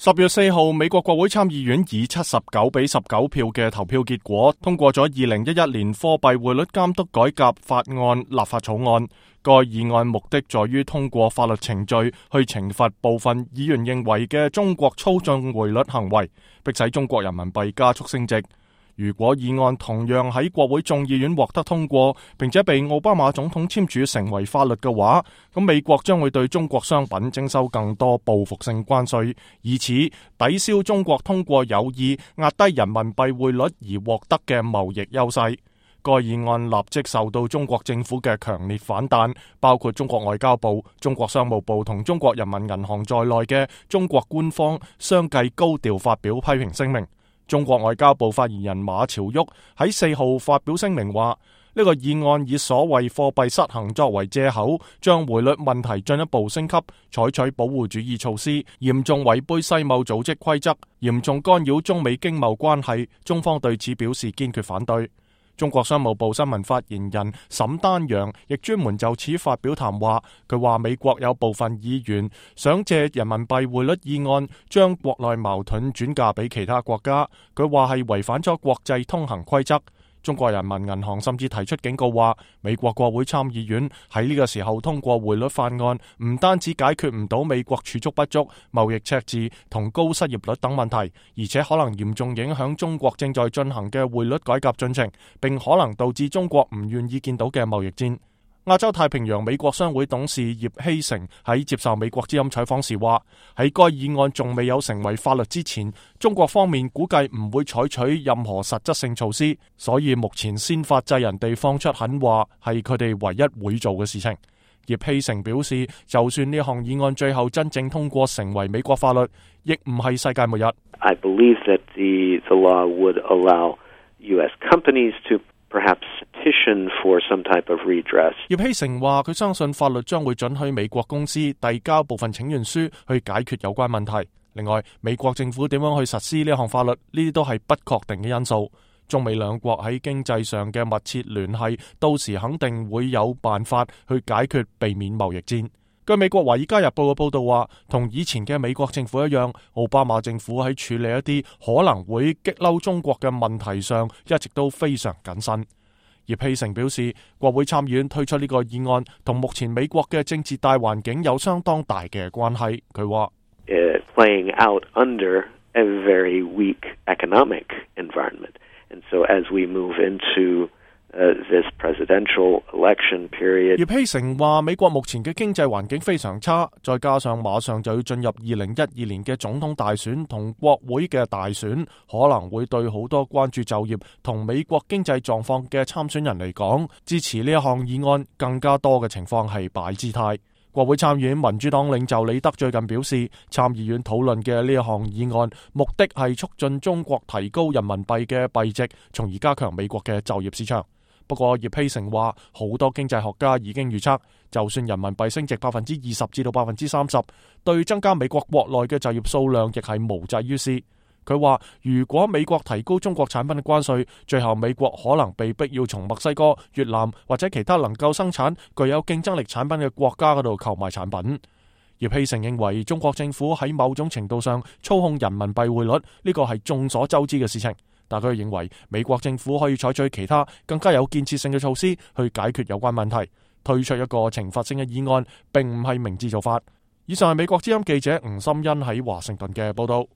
10月4號，美國國會參議院以79-19票嘅投票結果通過咗2011年貨幣匯率監督改革法案立法草案。該議案目的在於通過法律程序去懲罰部分議員認為嘅中國操縱匯率行為，迫使中國人民幣加速升值。如果議案同樣喺國會眾議院獲得通過，並且被奧巴馬總統簽署成為法律嘅話，咁美國將會對中國商品徵收更多報復性關稅，以此抵消中國通過有意壓低人民幣匯率而獲得嘅貿易優勢。該議案立即受到中國政府嘅強烈反彈，包括中國外交部、中國商務部同中國人民銀行在內嘅中國官方相繼高調發表批評聲明。中國外交部發言人馬朝旭喺4號發表聲明話，呢個議案以所謂貨幣失衡作為借口，將匯率問題進一步升級，採取保護主義措施，嚴重違背世貿組織規則，嚴重干擾中美經貿關係。中方對此表示堅決反對。中國商務部新聞發言人沈丹陽亦專門就此發表談話，佢話美國有部分議員想借人民幣匯率議案將國內矛盾轉嫁俾其他國家，佢話係違反咗國際通行規則。中國人民銀行甚至提出警告話，美國國會參議院喺呢個時候通過匯率法案，唔單止解決唔到美國儲蓄不足、貿易赤字同高失業率等問題，而且可能嚴重影響中國正在進行嘅匯率改革進程，並可能導致中國唔願意見到嘅貿易戰。亞洲太平洋美國商會董事葉希成喺接受美國之音採訪時話，喺該議案仲未有成為法律之前，中國方面估計唔會採取任何實質性措施，所以目前先發制人地放出狠話係佢哋唯一會做嘅事情。葉希成表示，就算呢項議案最後真正通過成為美國法律，亦唔係世界末日。I believe that the law would allow U.S. companies to perhaps petition for some type of redress. 葉希成話，佢相信法律將會准許美國公司遞交部分請願書去解決有關問題。另外，美國政府點樣去實施呢項法律，呢啲都係不確定嘅因素。中美兩國喺經濟上嘅密切聯繫，到時肯定會有辦法去解決，避免貿易戰。據美國《華爾街日報》嘅報道話，同以前嘅美國政府一樣，奧巴馬政府喺處理一啲可能會激嬲中國嘅問題上，一直都非常謹慎。葉希成表示，國會參議院推出呢個議案，同目前美國嘅政治大環境有相當大嘅關係。佢話，playing out under a very weak economic environment, and so as we move into this presidential election period. 葉希成話，美國目前嘅經濟環境非常差，再加上馬上就要進入2012年嘅總統大選同國會嘅大選，可能會對好多關注就業同美國經濟狀況嘅參選人嚟講，支持呢一項議案更加多嘅情況係擺姿態。國會參議院民主黨領袖李德最近表示，參議院討論嘅呢一項議案目的係促進中國提高人民幣嘅幣值，從而加強美國嘅就業市場。不過葉希成話，好多經濟學家已經預測，就算人民幣升值20%至到30%，對增加美國國內嘅就業數量亦係無濟於事。佢話，如果美國提高中國產品嘅關稅，最後美國可能被逼要從墨西哥、越南或者其他能夠生產具有競爭力產品嘅國家嗰度購買產品。葉希成認為，中國政府喺某種程度上操控人民幣匯率，呢個係眾所周知嘅事情。但佢認為美國政府可以採取其他更加有建設性嘅措施去解決有關問題，推出一個懲罰性嘅議案並唔係明智做法。以上係美國之音記者吳心欣喺華盛頓嘅報道。